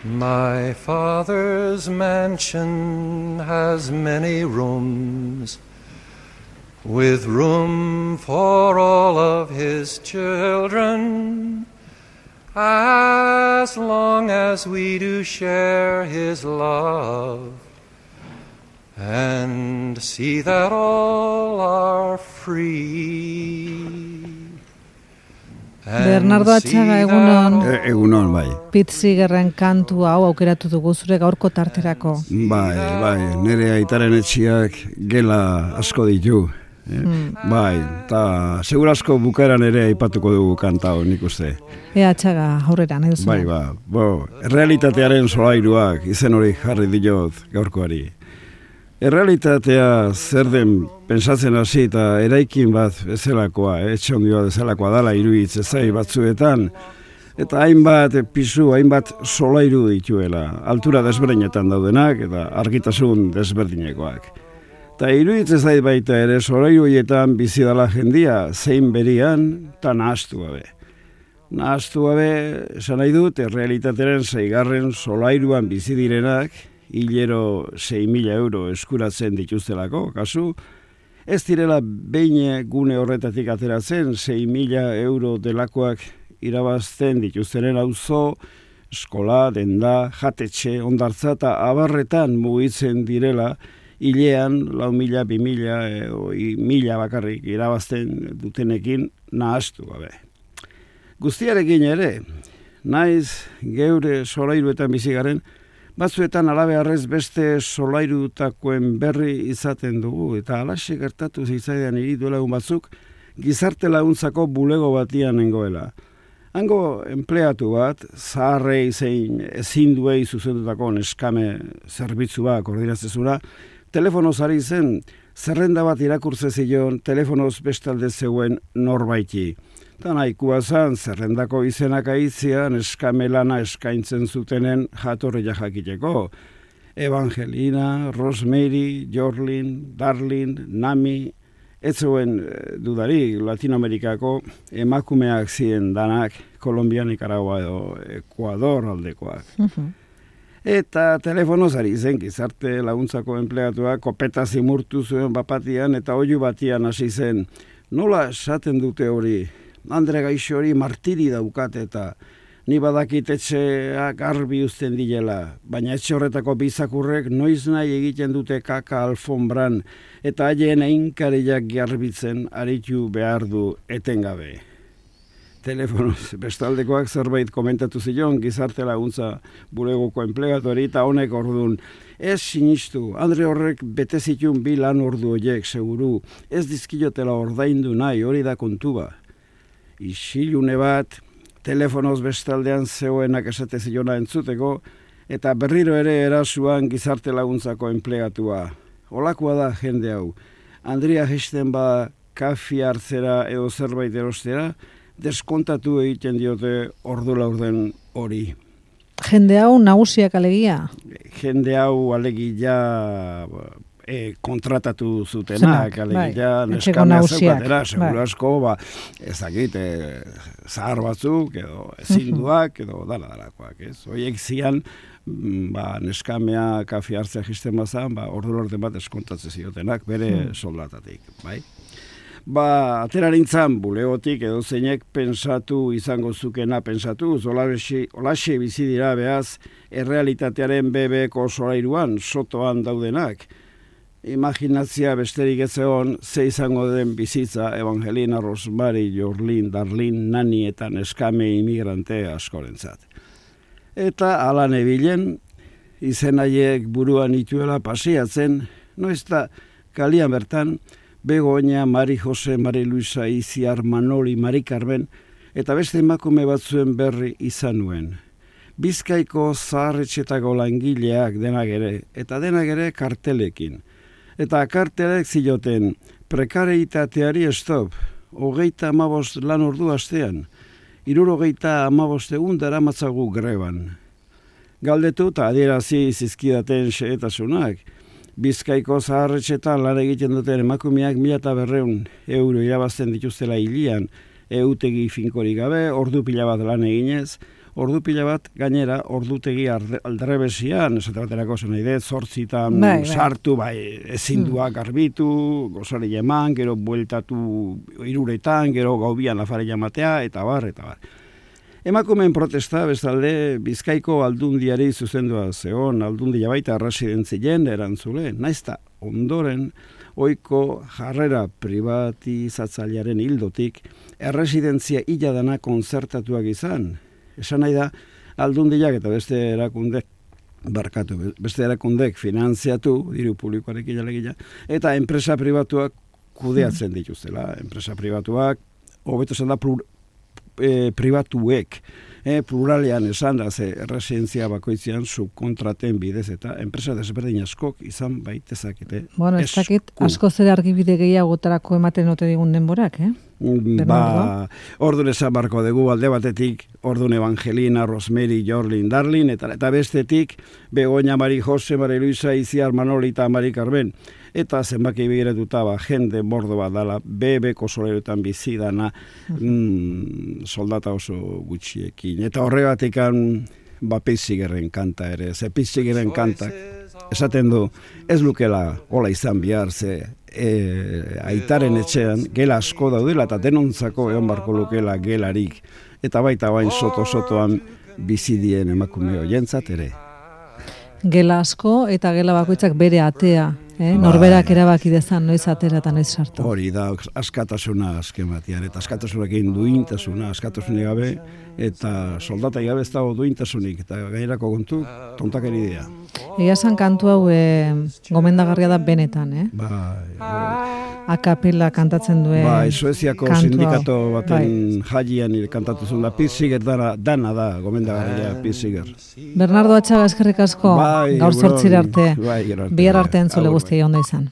My father's mansion has many rooms, with room for all of his children, as long as we do share his love, and see that all are free. Bernardo Atxaga, egunon. Egunon, bai. Pete Seegerren kantu hau aukeratu dugu zure gaurko tarterako. Bai, nire aitaren etxiak gela asko ditu. Bai, eta segurasko bukaeran ere aipatuko dugu kanta hau, nik uste. Atxaga, aurrera, nahi duzu. Bai, realitatearen solairuak izen hori jarri diot gaurkoari. Errealitatea zer den pentsatzen hasi eta eraikin bat bezalakoa, etxe ondioa bezalakoa dala iruitz ezai batzuetan, eta hainbat pisu, hainbat solairu dituela, altura desberdinetan daudenak eta argitasun desberdinekoak. Eta iruitz ezai baita ere solairu horietan bizi dala jendia zein berian eta nahastu gabe. Nahastu gabe, esan nahi dut, errealitatearen 6. solairuan bizi direnak, hilero 6.000 euro eskuratzen dituztelako, kasu, ez direla behin gune horretatik ateratzen 6.000 euro delakoak irabazten dituztenen auzo, eskola, denda, jatetxe, ondartza eta abarretan mugitzen direla, hilean 4.000, 2.000 edo 1.000 bakarrik irabazten dutenekin nahastu gabe. Guztiarekin ere, naiz geure solairuetan bizigaren, batzuetan alabeharrez beste solairutakoen berri izaten dugu, eta alaxe gertatu zitzaidan hiri duela egun batzuk, gizarte laguntzako bulego batian nengoela. Hango enpleatu bat, zaharrei zein ezin duei zuzendutako neskame zerbitzua koordinatzezura, telefonoz ari zen, zerrenda bat irakurtze zion, telefonoz bestalde zeuen norbaiti. Eta nahikoa zan, zerrendako izenak aitzia, neskame lana eskaintzen zutenen jatorria jakiteko. Evangelina, Rosemary, Jorlin, Darlin, Nami, ez zuen dudari Latinoamerikako emakumeak ziren danak, Kolombia, Nicaragua edo Ekuador aldekoak. Eta telefonoz ari zen gizarte laguntzako enpleatua kopeta zimurtu zuen bapatian eta oihu batian hasi zen. Nola esaten dute hori? Andre gaixo hori martiri daukat eta ni badakit etxeak garbi uzten dilela, baina etxe horretako bizakurrek noiz nahi egiten dute kaka alfombran eta haien einkariak garbitzen aritu behar du etengabe. Telefonoz bestaldekoak zerbait komentatu zion gizarte laguntza bulegoko enplegatori eta honek ordun. Ez sinistu, Andre horrek bete zitun 2 lan ordu horiek seguru, ez dizkiotela ordaindu nahi, hori da kontua. Isilune bat, telefonoz bestaldean zegoenak esate ziona entzuteko, eta berriro ere erasuan gizarte laguntzako enplegatua. Olakoa da jende hau. Andrea jesten ba kafi hartzera edo zerbait erostera, deskontatu egiten diote ordu laurden hori. Jende hau nagusiak alegia? Jende hau alegia kontratatu zutenak, alegia neskamea zeukatera, seguru asko, ezakit, zahar batzuk, edo ezinduak, edo dalakoak, ez? Horiek zian, neskamea kafi hartzea jisten bazan, ordu lorten bat eskontatzen ziotenak, bere soldatatik, bai? Aterarintzan bulegotik edo zeinek pensatu izango zukena pensatu, olaxe bizi dira behaz errealitatearen bebeko solairuan, sotoan daudenak. Imaginazia besterik ez egon, ze izango den bizitza Evangelina, Rosemary, Jorlin, Darlin, Nani eta neskame imigrante askorentzat. Eta ala nebilen, izen haiek buruan ituela pasiatzen, noiz da kalian bertan, Begoña, Mari Jose, Mari Luisa, Iziar, Manoli, Mari Carmen, eta beste emakume batzuen berri izan nuen. Bizkaiko zaharretxetako langileak denak ere, eta denak ere kartelekin. Eta kartelek zioten, prekareitateari stop, 35 lan ordu astean, 75 egun daramatzagu greban. Galdetu eta adierazi zizkidaten xehetasunak, Bizkaiko zaharretxetan lan egiten duten emakumeak 1.200 euro irabazten dituztela hilian, eutegi finkorik gabe, ordu pila bat lan eginez, ordu pila bat gainera ordutegi aldrebesian, esate baterako zen nahi dut, 8 sartu, ezin duak garbitu, gozari eman, gero bueltatu 3, gero gaubian afareia matea, eta bar. Emakumeen protesta, bestalde, Bizkaiko aldundiari zuzendua zeon, aldundia baita residentzien erantzule, naizta ondoren, oiko jarrera privatizatzailearen hildotik, erresidentzia hiladana konzertatuak izan. Esan nahi da, aldundiak eta beste erakundek finanziatu, diru publikoarekin jalegia, eta enpresa pribatuak kudeatzen dituztela. Enpresa pribatuak, hobeto esan da, pribatuek, pluralean esan da, erresidentzia bakoitzean subkontraten bidez eta enpresa desberdin askok izan baitezakete. Bueno, ez dakit, asko zer argibide gehiagotarako ematen ote digun denborak, Ordun esan barko dugu alde batetik, ordun Evangelina, Rosemary, Jorlin, Darlin, eta bestetik, Begoña, Mari Jose, Mari Luisa, Iziar, Manoli eta Mari Carmen. Eta zenbaki begiratuta jende bordo bat dala, bebeko soleroetan bizidana, soldata oso gutxiekin. Eta horregatik Pizzigerren kanta ere, Pizzigerren kantak esaten du, ez lukela hola izan behar, aitaren etxean gela asko daudela eta denontzako egon barko lukela gelarik, eta baita bain soto-sotoan bizidien emakume hoientzat ere. Gela asko eta gela bakoitzak bere atea. Norberak erabaki dezan noiz atera eta noiz sartu. Hori da, askatasuna azken batean, eta askatasunekin duintasuna, askatasunik gabe, eta soldatai gabe ez dago duintasunik, eta gainerako kontu, tontakeri dira. Egia esan kantu hau gomendagarria da benetan, akapela kantatzen duen Sueziako sindikato baten jaian kantatu zuen da, Pizziger dana da, gomendagarria Pizziger. Bernardo Atxaga, eskerrik asko, gaur 8 arte, bihar arte entzule guztia ondo izan.